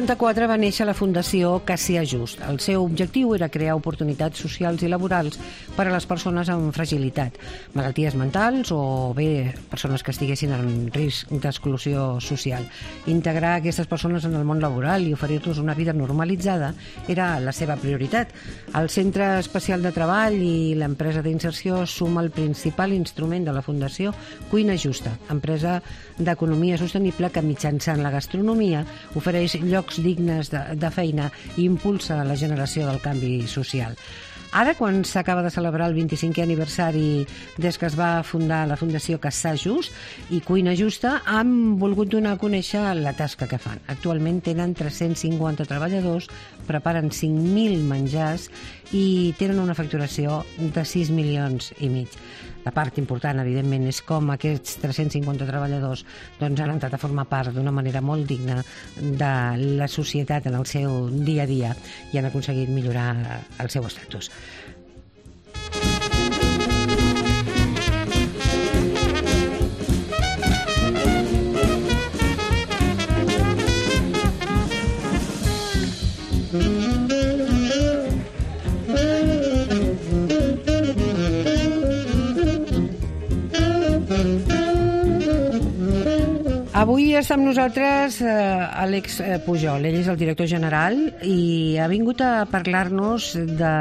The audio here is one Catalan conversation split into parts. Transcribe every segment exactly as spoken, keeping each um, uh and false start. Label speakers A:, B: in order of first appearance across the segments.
A: noranta-quatre va néixer la Fundació Cassià Just. El seu objectiu era crear oportunitats socials i laborals per a les persones amb fragilitat, malalties mentals o bé persones que estiguessin en risc d'exclusió social. Integrar aquestes persones en el món laboral i oferir-los una vida normalitzada era la seva prioritat. El Centre Especial de Treball i l'empresa d'inserció suma el principal instrument de la Fundació Cuina Justa, empresa d'economia sostenible que mitjançant la gastronomia ofereix llocs dignes de, de feina i impulsa la generació del canvi social. Ara, quan s'acaba de celebrar el vint-i-cinquè aniversari des que es va fundar la Fundació Cassià Just i Cuina Justa, han volgut donar a conèixer la tasca que fan. Actualment tenen tres-cents cinquanta treballadors, preparen cinc mil menjars i tenen una facturació de sis milions i mig. La part important, evidentment, és com aquests tres-cents cinquanta treballadors doncs, han entrat a formar part d'una manera molt digna de la societat en el seu dia a dia i han aconseguit millorar el seu estatus. Avui està amb nosaltres eh, Àlex Pujol. Ell és el director general i ha vingut a parlar-nos de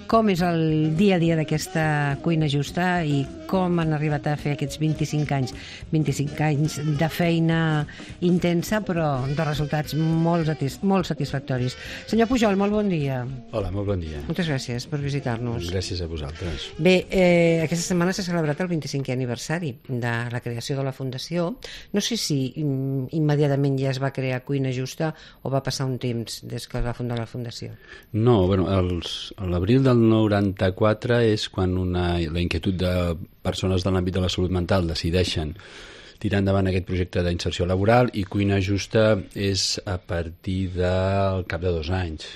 A: com és el dia a dia d'aquesta Cuina Justa i com han arribat a fer aquests vint-i-cinc anys. vint-i-cinc anys de feina intensa, però de resultats molt, satis molt satisfactoris. Senyor Pujol, molt bon dia.
B: Hola, molt bon dia.
A: Moltes gràcies per visitar-nos.
B: Gràcies a vosaltres.
A: Bé, eh, aquesta setmana s'ha celebrat el vint-i-cinquè aniversari de la creació de la Fundació. No sé si immediatament ja es va crear Cuina Justa o va passar un temps des que es va fundar la Fundació?
B: No, bueno, els, a l'abril del noranta-quatre és quan una, la inquietud de persones de l'àmbit de la salut mental decideixen tirar endavant aquest projecte d'inserció laboral i Cuina Justa és a partir del cap de dos anys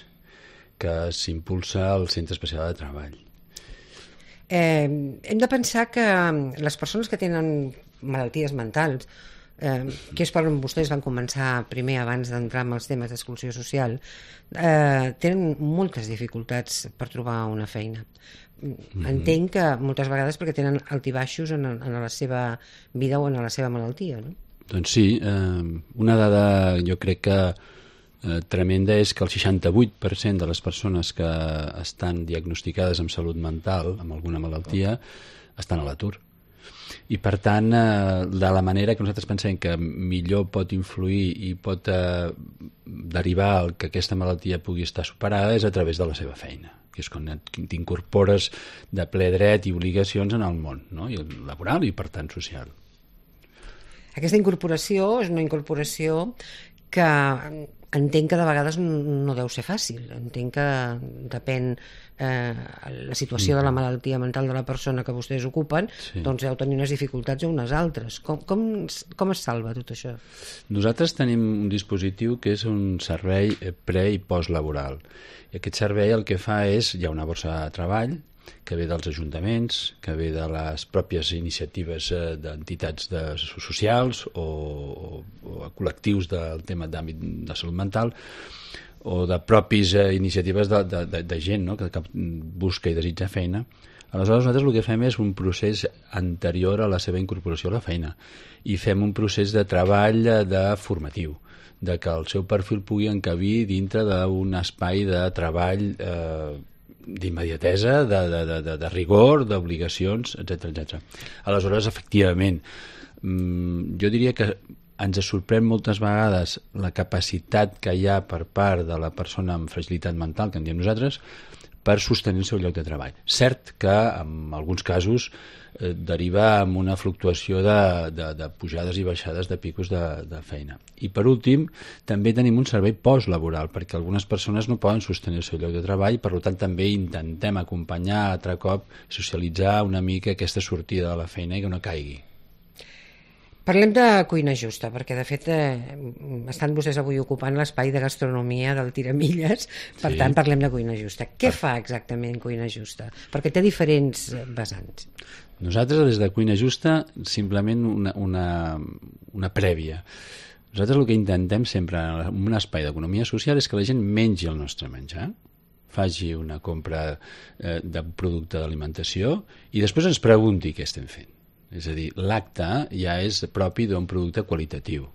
B: que s'impulsa el Centre Especial de Treball.
A: Eh, hem de pensar que les persones que tenen malalties mentals, eh, que és per on vostès van començar primer abans d'entrar en els temes d'exclusió social, eh, tenen moltes dificultats per trobar una feina. Mm-hmm. Entenc que moltes vegades perquè tenen altibaixos en, en la seva vida o en la seva malaltia, no?
B: Doncs sí, eh, una dada jo crec que eh, tremenda és que el seixanta-vuit per cent de les persones que estan diagnosticades amb salut mental, amb alguna malaltia, estan a l'atur. I per tant, eh, de la manera que nosaltres pensem que millor pot influir i pot eh, derivar el que aquesta malaltia pugui estar superada és a través de la seva feina, que és quan t'incorpores de ple dret i obligacions en el món, no? I laboral i per tant social.
A: Aquesta incorporació és una incorporació que entenc que de vegades no deu ser fàcil. Entenc que depèn eh, la situació de la malaltia mental de la persona que vostès ocupen, sí. Doncs deu tenir unes dificultats o unes altres. Com, com, com es salva tot això?
B: Nosaltres tenim un dispositiu que és un servei pre- i postlaboral. I aquest servei el que fa és, hi ha una borsa de treball que ve dels ajuntaments, que ve de les pròpies iniciatives eh, d'entitats de, socials o, o, o col·lectius del tema d'àmbit de salut mental o de propis eh, iniciatives de, de, de, de gent, no? que, que busca i desitja feina. Aleshores nosaltres el que fem és un procés anterior a la seva incorporació a la feina i fem un procés de treball de formatiu, de que el seu perfil pugui encabir dintre d'un espai de treball eh, d'immediatesa, de, de, de, de rigor, d'obligacions, etcètera, etcètera. Aleshores, efectivament, jo diria que ens sorprèn moltes vegades la capacitat que hi ha per part de la persona amb fragilitat mental, que en diem nosaltres, per sostenir el seu lloc de treball. Cert que, en alguns casos, eh, deriva en una fluctuació de, de, de pujades i baixades de picos de, de feina. I, per últim, també tenim un servei postlaboral, perquè algunes persones no poden sostenir el seu lloc de treball, per tant, també intentem acompanyar altre cop, socialitzar una mica aquesta sortida de la feina i que no caigui.
A: Parlem de Cuina Justa, perquè de fet eh, estan vostès avui ocupant l'espai de gastronomia del Tiramilles, per sí. Tant parlem de Cuina Justa. Què fa exactament Cuina Justa? Perquè té diferents vessants.
B: Nosaltres des de Cuina Justa simplement una, una, una prèvia. Nosaltres el que intentem sempre en un espai d'economia social és que la gent mengi el nostre menjar, faci una compra eh, de producte d'alimentació i després ens pregunti què estem fent. És a dir, l'acte ja és propi d'un producte qualitatiu.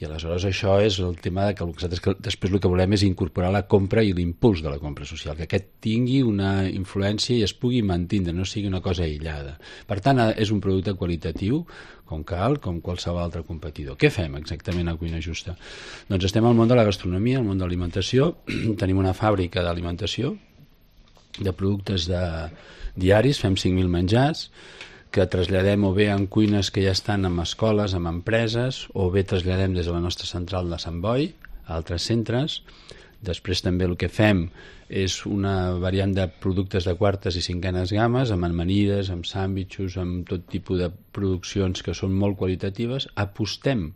B: I aleshores això és el tema de que nosaltres que després el que volem és incorporar la compra i l'impuls de la compra social, que aquest tingui una influència i es pugui mantindre, no sigui una cosa aïllada. Per tant, és un producte qualitatiu com cal, com qualsevol altre competidor. Què fem exactament a Cuina Justa? Doncs estem al món de la gastronomia, al món de l'alimentació, tenim una fàbrica d'alimentació, de productes de diaris, fem cinc mil menjars, que traslladem o bé en cuines que ja estan en escoles, en empreses, o bé traslladem des de la nostra central de Sant Boi a altres centres. Després també el que fem és una variant de productes de quartes i cinquenes games, amb amanides, amb sàndwichos, amb tot tipus de produccions que són molt qualitatives. Apostem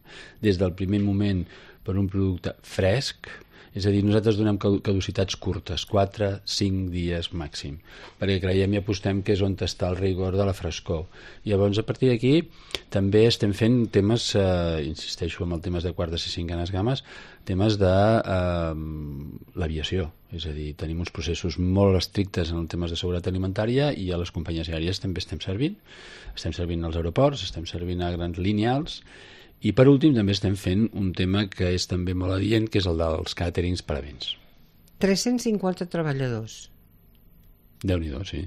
B: des del primer moment per un producte fresc, és a dir, nosaltres donem caducitats curtes, quatre cinc dies màxim, perquè creiem i apostem que és on està el rigor de la frescor. I llavors, a partir d'aquí, també estem fent temes, eh, insisteixo en els temes de quartes i cinquenes games, temes de eh, l'aviació. És a dir, tenim uns processos molt estrictes en els temes de seguretat alimentària i a les companyies aèries també estem servint. Estem servint als aeroports, estem servint a grans lineals. I per últim també estem fent un tema que és també molt adient, que és el dels càterings per events.
A: tres-cents cinquanta treballadors.
B: Déu-n'hi-do, sí.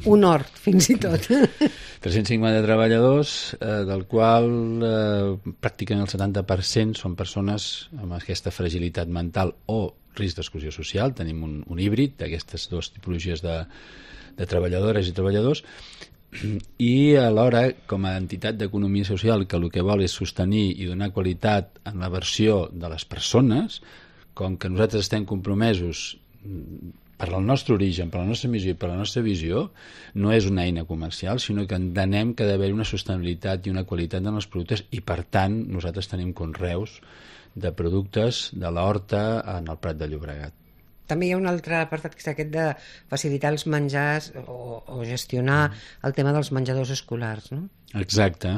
A: Un hort, fins i tot.
B: tres-cents cinquanta treballadors, eh, del qual eh, pràcticament el setanta per cent són persones amb aquesta fragilitat mental o risc d'exclusió social. Tenim un, un híbrid d'aquestes dues tipologies de, de treballadores i treballadors, i alhora, com a entitat d'economia social que el que vol és sostenir i donar qualitat en la versió de les persones, com que nosaltres estem compromesos per al nostre origen, per la nostra missió i per la nostra visió, no és una eina comercial, sinó que entenem que ha d'haver una sostenibilitat i una qualitat en els productes i, per tant, nosaltres tenim conreus de productes de l'horta en el Prat de Llobregat.
A: També hi ha un altre apartat que és aquest de facilitar els menjars o, o gestionar el tema dels menjadors escolars, no?
B: Exacte.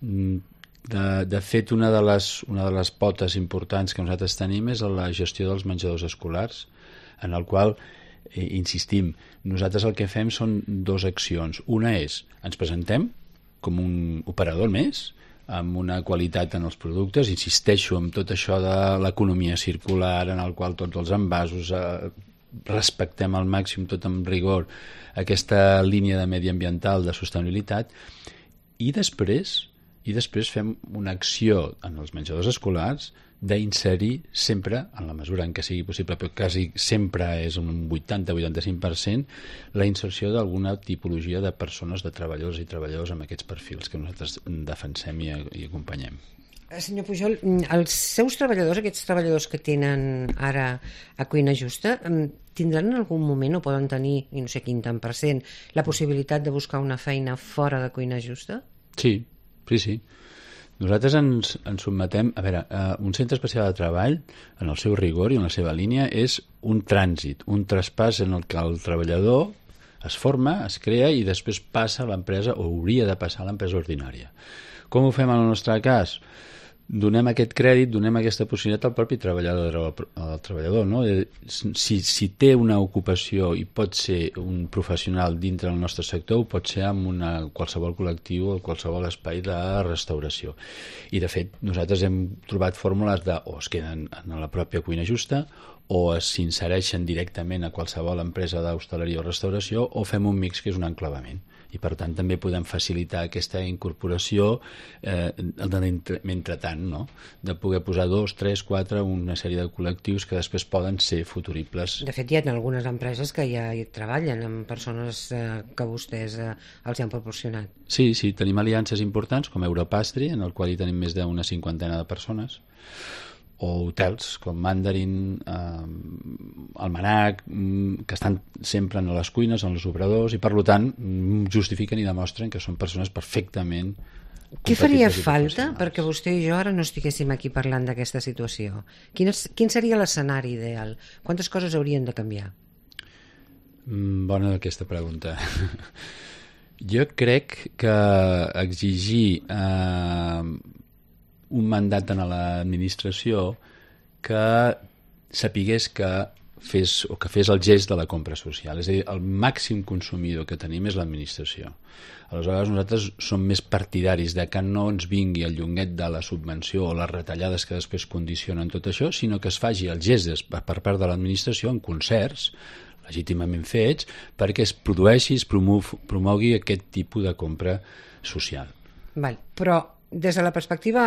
B: De, de fet, una de, les, una de les potes importants que nosaltres tenim és la gestió dels menjadors escolars, en el qual, eh, insistim, nosaltres el que fem són dues accions. Una és, ens presentem com un operador més, amb una qualitat en els productes, insisteixo en tot això de l'economia circular, en el qual tots els envasos eh, respectem al màxim, tot amb rigor, aquesta línia de mediambiental de sostenibilitat, i després, i després fem una acció en els menjadors escolars d'inserir sempre, en la mesura en què sigui possible, però quasi sempre és un vuitanta a vuitanta-cinc per cent, la inserció d'alguna tipologia de persones, de treballadors i treballadors amb aquests perfils que nosaltres defensem i, i acompanyem.
A: Senyor Pujol, els seus treballadors, aquests treballadors que tenen ara a Cuina Justa, tindran en algun moment o poden tenir, i no sé quin tant per cent, la possibilitat de buscar una feina fora de Cuina Justa?
B: Sí, sí, sí. Nosaltres ens, ens sotmetem... A veure, uh, un centre especial de treball, en el seu rigor i en la seva línia, és un trànsit, un traspàs en el que el treballador es forma, es crea i després passa a l'empresa, o hauria de passar a l'empresa ordinària. Com ho fem en el nostre cas? Donem aquest crèdit, donem aquesta possibilitat al propi treballador, al treballador, no? Si, si té una ocupació i pot ser un professional dintre del nostre sector, ho pot ser amb una, qualsevol col·lectiu o qualsevol espai de restauració. I, de fet, nosaltres hem trobat fórmules de o es queden en la pròpia Cuina Justa o s'insereixen directament a qualsevol empresa d'hostaleria o restauració o fem un mix que és un enclavament. I per tant també podem facilitar aquesta incorporació eh, mentrestant, no? De poder posar dos, tres, quatre, una sèrie de col·lectius que després poden ser futuribles.
A: De fet, hi ha algunes empreses que ja hi treballen amb persones eh, que vostès eh, els han proporcionat.
B: Sí, sí, tenim aliances importants com Europastry, en el qual hi tenim més d'una cinquantena de persones, o hotels com Mandarin, eh, Almanac, que estan sempre en les cuines, en els obradors, i per tant justifiquen i demostren que són persones perfectament compatibles.
A: Què faria falta perquè vostè i jo ara no estiguéssim aquí parlant d'aquesta situació? Quin, és, quin seria l'escenari ideal? Quantes coses haurien de canviar?
B: Bona aquesta pregunta. Jo crec que exigir eh, un mandat en l'administració que sapigués que fes, o que fes el gest de la compra social. És a dir, el màxim consumidor que tenim és l'administració. Aleshores, nosaltres som més partidaris de que no ens vingui el llonguet de la subvenció o les retallades que després condicionen tot això, sinó que es faci el gest per part de l'administració en concerts, legítimament fets, perquè es produeixi, es promou, promogui aquest tipus de compra social.
A: Val. Però des de la perspectiva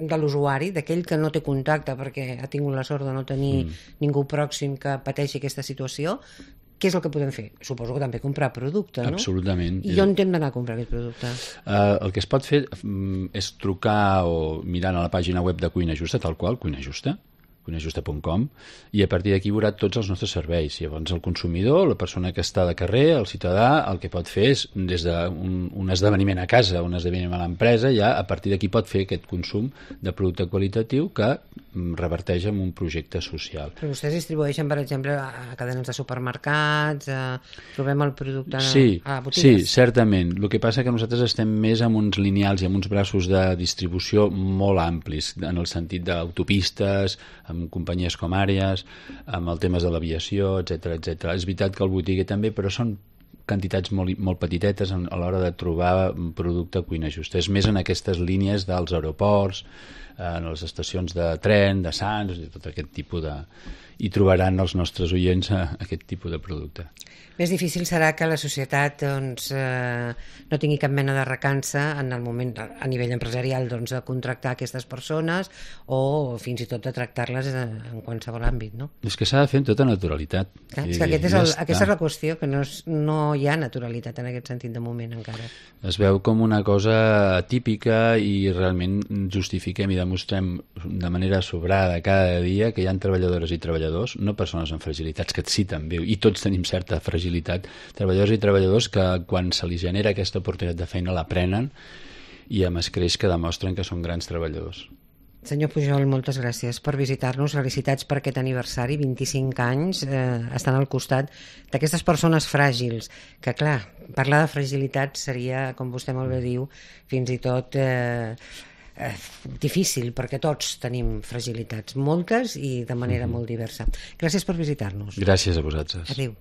A: de l'usuari, d'aquell que no té contacte perquè ha tingut la sort de no tenir mm. ningú pròxim que pateixi aquesta situació, què és el que podem fer? Suposo que també comprar producte, no?
B: Absolutament.
A: I on hem d'anar a comprar aquest producte?
B: Uh, el que es pot fer um, és trucar o mirant a la pàgina web de Cuina Justa, tal qual, Cuina Justa, cuina justa punt com, i a partir d'aquí veurà tots els nostres serveis. Llavors el consumidor, la persona que està de carrer, el ciutadà, el que pot fer és, des d'un un esdeveniment a casa, un esdeveniment a l'empresa, ja a partir d'aquí pot fer aquest consum de producte qualitatiu que reverteix en un projecte social.
A: Però vostès distribueixen, per exemple, a cadenes de supermercats, a... trobem el producte
B: sí,
A: a botigues?
B: Sí, certament. El que passa que nosaltres estem més amb uns lineals i amb uns braços de distribució molt amplis, en el sentit d'autopistes, amb companyies com Àrees, amb els temes de l'aviació, etcètera, etcètera. És veritat que el botiguer també, però són quantitats molt, molt petitetes a l'hora de trobar un producte a Cuina Justa. És més en aquestes línies dels aeroports, en les estacions de tren, de Sants, tot aquest tipus de... i trobaran els nostres oients aquest tipus de producte.
A: Més difícil serà que la societat doncs, eh, no tingui cap mena de recança en el moment, a nivell empresarial, doncs, de contractar aquestes persones o fins i tot de tractar-les en qualsevol àmbit, no?
B: És que s'ha de fer amb tota naturalitat.
A: Clar, és que aquest és el, aquesta és la qüestió, que no, és, no hi ha naturalitat en aquest sentit de moment encara.
B: Es veu com una cosa atípica i realment justifiquem i demostrem de manera sobrada cada dia que hi ha treballadores i treballadors, no persones amb fragilitats, que sí també, i tots tenim certa fragilitat, treballadors i treballadors que quan se li genera aquesta oportunitat de feina la prenen i amb escreix que demostren que són grans treballadors.
A: Senyor Pujol, moltes gràcies per visitar-nos. Felicitats per aquest aniversari, vint-i-cinc anys, eh, estan al costat d'aquestes persones fràgils, que clar, parlar de fragilitat seria, com vostè molt bé diu, fins i tot eh, eh, difícil, perquè tots tenim fragilitats, moltes i de manera mm-hmm. molt diversa. Gràcies per visitar-nos.
B: Gràcies a vosaltres.
A: Adéu.